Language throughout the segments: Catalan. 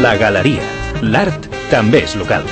La Galeria. L'art també és local.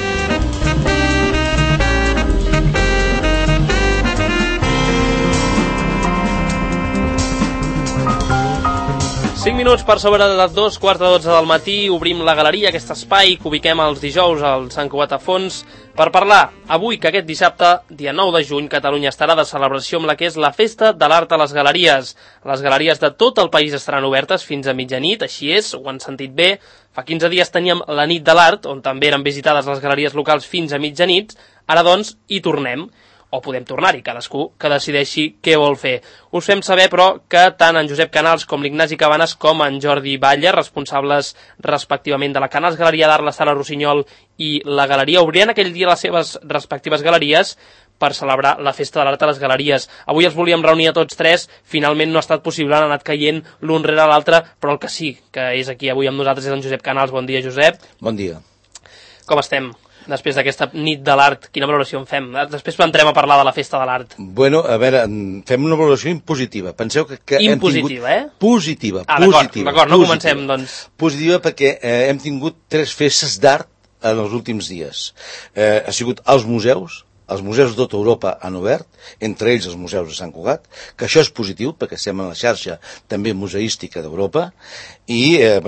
Minuts per sobre de les 2:15 del matí, obrim la galeria, aquest espai que ubiquem els dijous al Sant Cugat a Fons, per parlar avui que aquest dissabte, dia 9 de juny, Catalunya estarà de celebració amb la que és la Festa de l'Art a les Galeries. Les galeries de tot el país estaran obertes fins a mitjanit, així és, ho han sentit bé. Fa 15 dies teníem la nit de l'art, on també eren visitades les galeries locals fins a mitjanit. Ara, doncs, hi tornem. O podem tornar-hi, cadascú que decideixi què vol fer. Us fem saber, però, que tant en Josep Canals com l'Ignasi Cabanes com en Jordi Batlle, responsables respectivament de la Canals Galeria d'Art, la Sala Rossinyol i la Galeria, obriran aquell dia les seves respectives galeries per celebrar la Festa de l'Art a les Galeries. Avui els volíem reunir a tots tres, finalment no ha estat possible, han anat caient l'un rere l'altre, però el que sí que és aquí avui amb nosaltres és en Josep Canals. Bon dia, Josep. Bon dia. Com estem? Després d'aquesta nit de l'art, quina valoració en fem? Després entrem a parlar de la Festa de l'Art. Bueno, a veure, fem una valoració impositiva. Penseu que impositiva, hem tingut... Positiva, d'acord, no comencem, doncs. Positiva perquè hem tingut 3 festes d'art en els últims dies. Ha sigut als museus de tota Europa han obert, entre ells els museus de Sant Cugat, que això és positiu, perquè estem en la xarxa també museística d'Europa, i a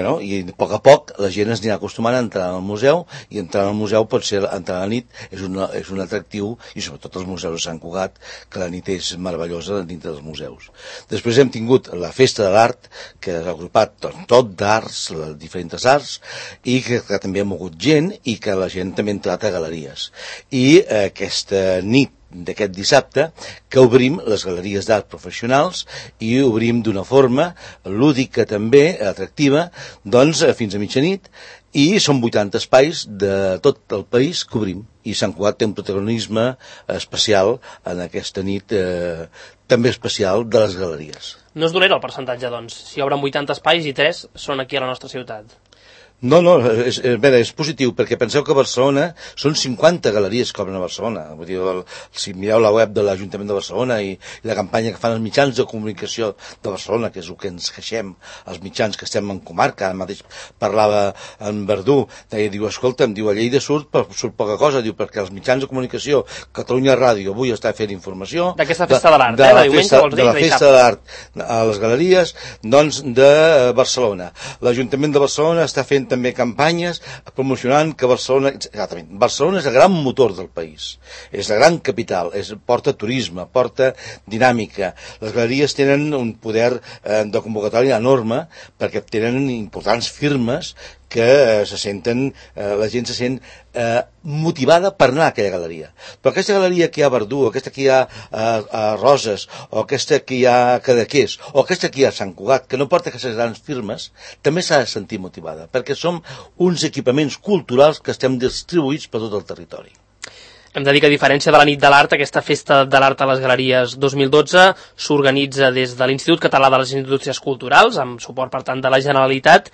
poc a poc la gent es anirà acostumant a entrar al museu, i entrar al museu pot ser entrar a la nit, és un atractiu, i sobretot els museus de Sant Cugat, que la nit és meravellosa dintre dels museus. Després hem tingut la Festa de l'Art, que ha agrupat tot d'arts, diferents arts, i que també ha mogut gent, i que la gent també ha entrat a galeries. I aquesta nit d'aquest dissabte que obrim les galeries d'art professionals i obrim d'una forma lúdica també, atractiva, doncs fins a mitjanit, i són 80 espais de tot el país que obrim, i Sant Cugat té un protagonisme especial en aquesta nit també especial de les galeries. No és dolent el percentatge, doncs, si obren 80 espais i 3 són aquí a la nostra ciutat. No, és positiu, perquè penseu que a Barcelona són 50 galeries que obren a Barcelona. Vull dir, si mireu la web de l'Ajuntament de Barcelona i la campanya que fan els mitjans de comunicació de Barcelona, que és el que ens queixem, els mitjans que estem en comarca, ara mateix parlava en Verdú, diu, escolta'm, diu, a Lleida surt poca cosa, diu, perquè els mitjans de comunicació, Catalunya Ràdio, avui està fent informació... D'aquesta Festa de l'Art, de la Festa de l'Art a les galeries, doncs, de Barcelona. L'Ajuntament de Barcelona està fent també campanyes promocionant que Barcelona és el gran motor del país, és la gran capital, porta turisme, porta dinàmica. Les galeries tenen un poder de convocatòria enorme perquè tenen importants firmes que la gent se sent motivada per anar a aquella galeria. Però aquesta galeria que hi ha a Verdú, o aquesta que hi ha a Roses, o aquesta que hi ha a Cadaqués, o aquesta que hi ha a Sant Cugat, que no porta aquestes grans firmes, també s'ha de sentir motivada, perquè som uns equipaments culturals que estem distribuïts per tot el territori. Hem de dir que, a diferència de la nit de l'art, aquesta Festa de l'Art a les Galeries 2012 s'organitza des de l'Institut Català de les Indústries Culturals, amb suport, per tant, de la Generalitat,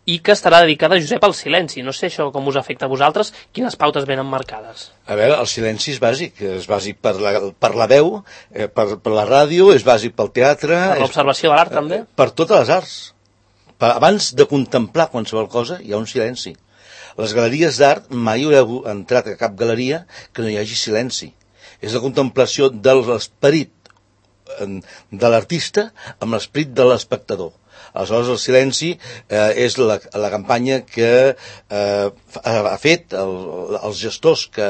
i que estarà dedicada, Josep, al silenci. No sé això com us afecta a vosaltres, quines pautes venen marcades? A veure, el silenci és bàsic per la veu, per la ràdio, és bàsic pel teatre... Per l'observació de l'art, també? Per totes les arts. Abans de contemplar qualsevol cosa, hi ha un silenci. Les galeries d'art, mai haureu entrat a cap galeria que no hi hagi silenci. És la contemplació de l'esperit de l'artista amb l'esperit de l'espectador. Aleshores, el silenci és la campanya que ha fet els gestors que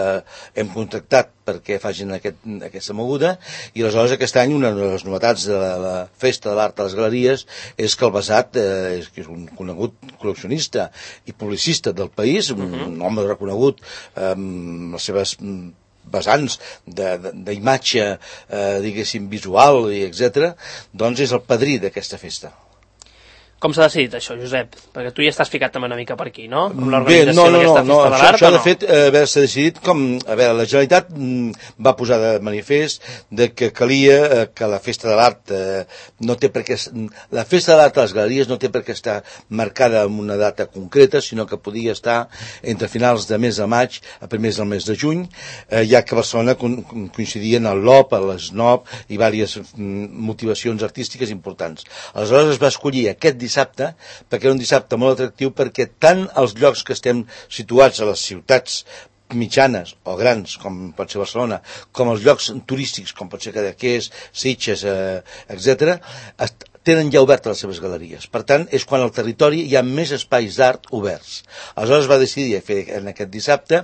hem contractat perquè facin aquesta moguda, i aleshores aquest any una de les novetats de la Festa de l'Art a les Galeries és que el Basat, que és un conegut col·leccionista i publicista del país, un home reconegut amb les seves vessants d'imatge, diguéssim, visual, etc., doncs és el padrí d'aquesta festa. Com s'ha decidit això, Josep? Perquè tu ja estàs ficat també una mica per aquí, no? Amb l'organització d'aquesta Festa de l'Art, això de fet s'ha decidit com... A veure, la Generalitat va posar de manifest que calia que la Festa de l'Art no té per què... La Festa de l'Art a les Galeries no té per què estar marcada amb una data concreta, sinó que podia estar entre finals de mes de maig a primers del mes de juny, ja que a Barcelona coincidien el LOP, l'SNOP i diverses motivacions artístiques importants. Aleshores es va escollir aquest dissabte dissabte, perquè era un dissabte molt atractiu, perquè tant els llocs que estem situats a les ciutats mitjanes o grans, com pot ser Barcelona, com els llocs turístics, com pot ser Cadaqués, Sitges, etc., tenen ja obertes les seves galeries. Per tant, és quan al territori hi ha més espais d'art oberts. Aleshores va decidir fer en aquest dissabte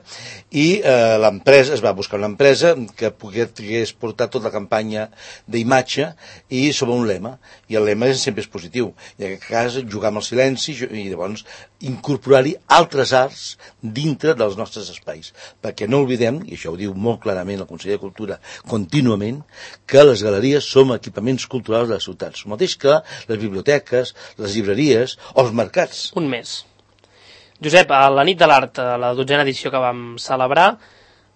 i l'empresa, es va buscar una empresa que pogués portar tota la campanya d'imatge i sobre un lema. I el lema sempre és positiu. I en aquest cas, jugar amb el silenci i llavors incorporar-hi altres arts dintre dels nostres espais. Perquè no oblidem, i això ho diu molt clarament el Conseller de Cultura contínuament, que les galeries som equipaments culturals de les ciutats. El mateix que les biblioteques, les llibreries o els mercats. Un mes. Josep, a la nit de l'art, a la 12a edició que vam celebrar,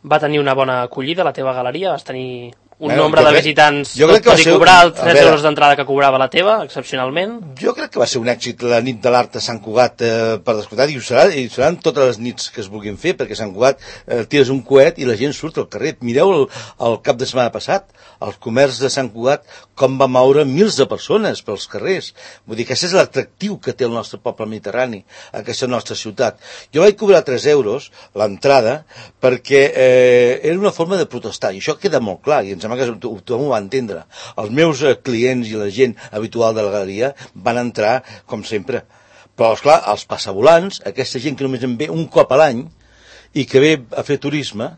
va tenir una bona acollida a la teva galeria? Vas tenir un nombre de visitants, tot i cobrar els 3 euros d'entrada que cobrava la teva, excepcionalment? Jo crec que va ser un èxit la nit de l'art a Sant Cugat, per descomptat, i seran totes les nits que es vulguin fer, perquè a Sant Cugat tires un coet i la gent surt al carrer. Mireu el cap de setmana passat, el comerç de Sant Cugat, com va moure mils de persones pels carrers. Vull dir que aquest és l'atractiu que té el nostre poble mediterrani, aquesta nostra ciutat. Jo vaig cobrar 3 euros l'entrada perquè era una forma de protestar, i això queda molt clar, i ens sembla que tothom ho va entendre. Els meus clients i la gent habitual de la galeria van entrar, com sempre. Però, esclar, els passavolants, aquesta gent que només en ve un cop a l'any i que ve a fer turisme,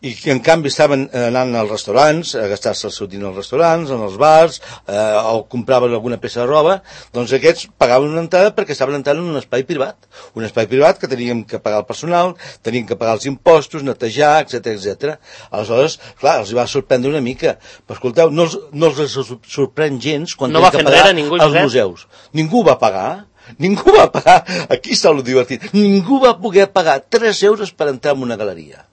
i que en canvi estaven anant als restaurants, a gastar-se el seu diner als restaurants, en els bars, o compraven alguna peça de roba, doncs aquests pagaven una entrada perquè estaven entrant en un espai privat que teníem que pagar el personal, teníem que pagar els impostos, netejar, etc. Aleshores, clar, els va sorprendre una mica. Però escolteu, no els sorprèn gens quan no tenen que pagar als museus. Ningú va pagar. Aquí està el divertit. Ningú va poder pagar 3 euros per entrar en una galeria.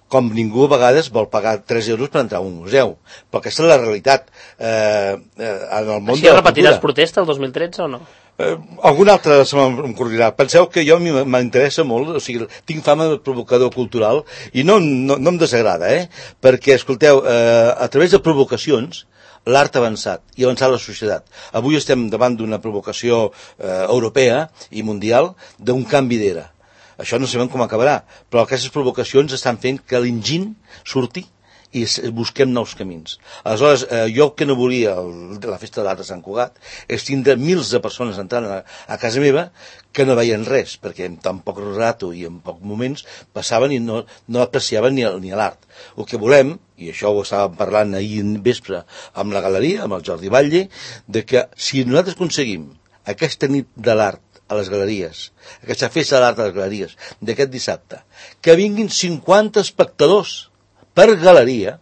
Com ningú a vegades vol pagar 3 euros per entrar a un museu. Però aquesta és la realitat en el món de la cultura. Així repetiràs protesta el 2013 o no? Algun altre se m'en corrirà. Penseu que jo m'interessa molt, o sigui, tinc fama de provocador cultural i no em desagrada, perquè, escolteu, a través de provocacions l'art ha avançat i ha avançat la societat. Avui estem davant d'una provocació europea i mundial d'un canvi d'era. Això no sabem com acabarà, però aquestes provocacions estan fent que l'enginy surti i busquem nous camins. Aleshores, jo que no volia la festa de l'art de Sant Cugat és tindre mils de persones entrant a casa meva que no veien res, perquè en tan poc rato i en pocs moments passaven i no apreciaven ni l'art. El que volem, i això ho estàvem parlant ahir vespre amb la galeria, amb el Jordi Batlle, de que si nosaltres aconseguim aquesta nit de l'art a les galeries, aquesta festa de l'art a les galeries d'aquest dissabte, que vinguin 50 espectadors per galeria,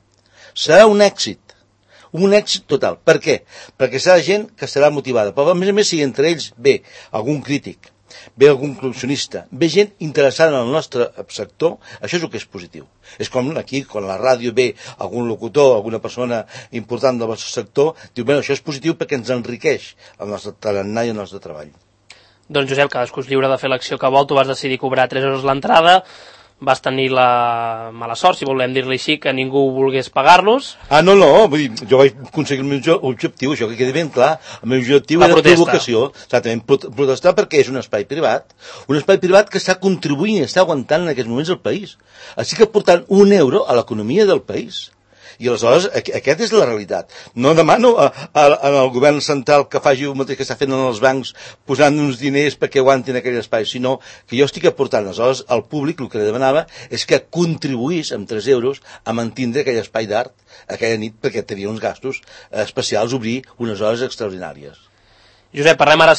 serà un èxit total. Per què? Perquè serà gent que estarà motivada, però a més si entre ells ve algun crític, ve algun col·leccionista, ve gent interessada en el nostre sector, això és el que és positiu. És com aquí, quan a la ràdio ve algun locutor, alguna persona important del vostre sector, diu, bé, això és positiu perquè ens enriqueix el nostre tarannà i el nostre treball. Doncs Josep, cadascú és lliure de fer l'acció que vol, tu vas decidir cobrar 3 euros l'entrada, vas tenir la mala sort, si volem dir-li així, que ningú volgués pagar-los. No, vull dir, jo vaig aconseguir el meu objectiu, això que quedi ben clar, el meu objectiu era provocació, exactament, protestar perquè és un espai privat que està contribuint i està aguantant en aquests moments el país. Així que portant 1 euro a l'economia del país. I aleshores, aquesta és la realitat. No demano al govern central que faci el mateix que està fent en els bancs, posant uns diners perquè aguantin aquell espai, sinó que jo estic aportant. Aleshores, al públic el que li demanava és que contribuís amb 3 euros a mantindre aquell espai d'art aquella nit, perquè tenia uns gastos especials, obrir unes hores extraordinàries. Josep, parlem ara,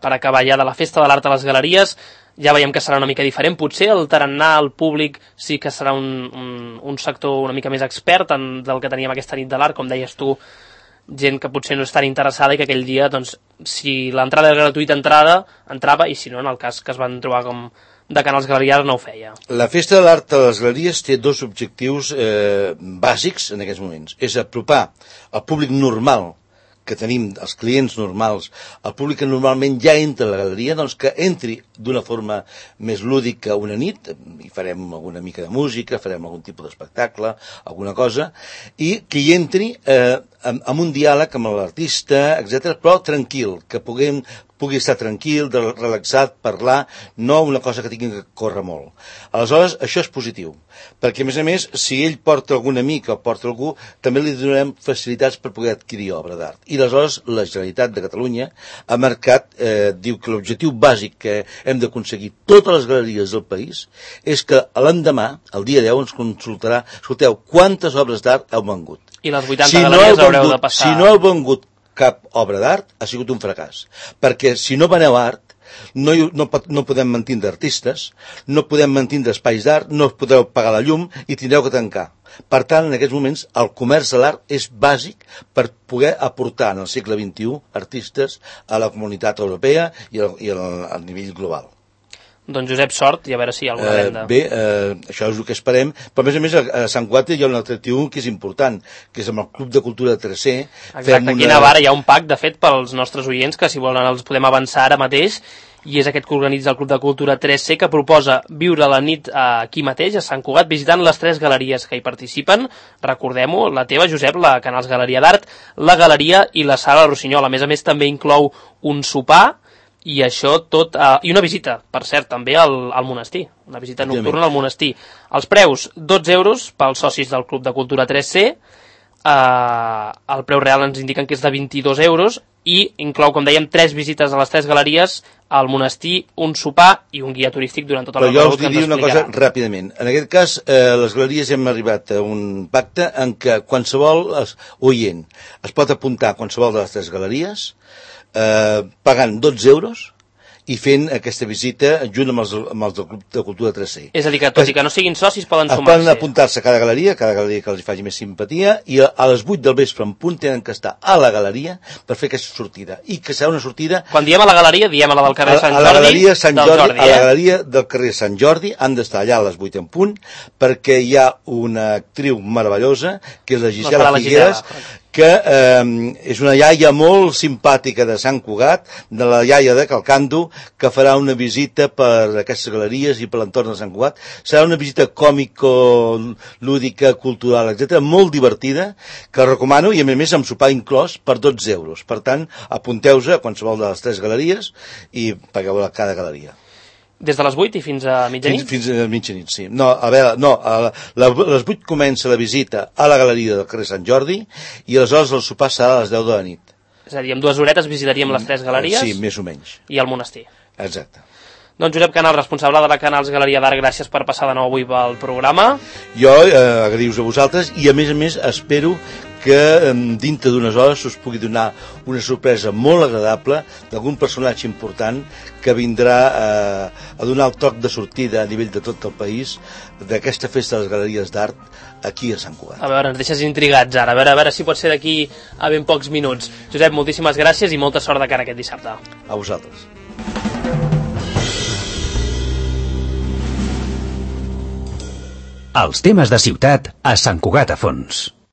per acabar ja de la festa de l'art a les galeries. Ja veiem que serà una mica diferent. Potser el tarannà, el públic, sí que serà un sector una mica més expert del que teníem aquesta nit de l'art, com deies tu, gent que potser no és tan interessada i que aquell dia, doncs, si l'entrada era gratuïta, entrava, i si no, en el cas que es van trobar com de canals galeries, no ho feia. La festa de l'art a les galeries té 2 objectius bàsics en aquests moments. És apropar al públic normal que tenim, els clients normals, el públic que normalment ja entra a la galeria, doncs que entri d'una forma més lúdica una nit, i farem alguna mica de música, farem algun tipus d'espectacle, alguna cosa, i que hi entri amb un diàleg amb l'artista, etc., però tranquil, que puguem pugui estar tranquil, relaxat, parlar, no una cosa que tingui que córrer molt. Aleshores, això és positiu, perquè a més, si ell porta algun amic o porta algú, també li donarem facilitats per poder adquirir obra d'art. I aleshores la Generalitat de Catalunya ha marcat, diu que l'objectiu bàsic que hem d'aconseguir totes les galeries del país és que l'endemà, el dia 10, ens consultarà, escolteu, quantes obres d'art heu vengut. I les 80 galeries haureu de passar. Si no heu vengut cap obra d'art, ha sigut un fracàs. Perquè si no veneu art, no podem mantindre artistes, no podem mantindre espais d'art, no podeu pagar la llum i tindreu que tancar. Per tant, en aquests moments, el comerç de l'art és bàsic per poder aportar en el segle XXI artistes a la comunitat europea i a nivell global. Doncs Josep, sort, i a veure si hi ha alguna venda. Bé, això és el que esperem, però a més a Sant Cugat hi ha un atractiu que és important, que és amb el Club de Cultura 3C. Exacte, aquí a Navarra hi ha un pack, de fet, pels nostres oients, que si volen els podem avançar ara mateix, i és aquest que organitza el Club de Cultura 3C, que proposa viure la nit aquí mateix, a Sant Cugat, visitant les 3 galeries que hi participen. Recordem-ho, la teva, Josep, la Canals Galeria d'Art, la Galeria i la Sala Rossinyol. A més, també inclou un sopar, i això tot, i una visita, per cert, també al monestir, una visita nocturna al monestir. Els preus, 12 euros pels socis del Club de Cultura 3C, el preu real ens indiquen que és de 22 euros, i inclou, com dèiem, 3 visites a les 3 galeries, al monestir, un sopar i un guia turístic durant tota la recorregut que ens explicarà. Però jo us diria una cosa ràpidament. En aquest cas, les galeries hem arribat a un pacte en què qualsevol oient es pot apuntar a qualsevol de les 3 galeries, pagant 12 euros i fent aquesta visita junt amb els del Club de Cultura 3C. És a dir, que tot i que no siguin socis poden sumar-se. Poden apuntar-se a cada galeria que els faci més simpatia, i a les 8 del vespre en punt tenen que estar a la galeria per fer aquesta sortida. I que serà una sortida... Quan diem a la galeria, diem a la del carrer Sant Jordi. A la galeria Sant Jordi, a la galeria del carrer Sant Jordi, han d'estar allà a les 8 en punt, perquè hi ha una actriu meravellosa, que és la Gisela Figueres, que és una iaia molt simpàtica de Sant Cugat, de la iaia de Calcando, que farà una visita per aquestes galeries i per l'entorn de Sant Cugat. Serà una visita còmico, lúdica, cultural, etc., molt divertida, que recomano, i a més amb sopar inclòs per 12 euros. Per tant, apunteu-se a qualsevol de les 3 galeries i pagueu a cada galeria. Des de les 8 i fins a mitjanit? Fins a mitjanit, sí. No, a veure, no, a les 8 comença la visita a la galeria del carrer Sant Jordi i aleshores el sopar serà a les 10 de la nit. És a dir, en 2 horetes visitaríem les 3 galeries? Sí, més o menys. I el monestir. Exacte. Doncs Josep Canals, responsable de la Canals Galeria d'Art, gràcies per passar de nou avui pel programa. Jo agraïu-vos a vosaltres i a més espero que dintre d'unes hores us pugui donar una sorpresa molt agradable d'algun personatge important que vindrà a donar el toc de sortida a nivell de tot el país d'aquesta festa de les galeries d'art aquí a Sant Cugat. A veure, ens deixes intrigats ara, a veure si pot ser d'aquí a ben pocs minuts. Josep, moltíssimes gràcies i molta sort de cara aquest dissabte. A vosaltres. Els temes de ciutat a Sant Cugat a Fons.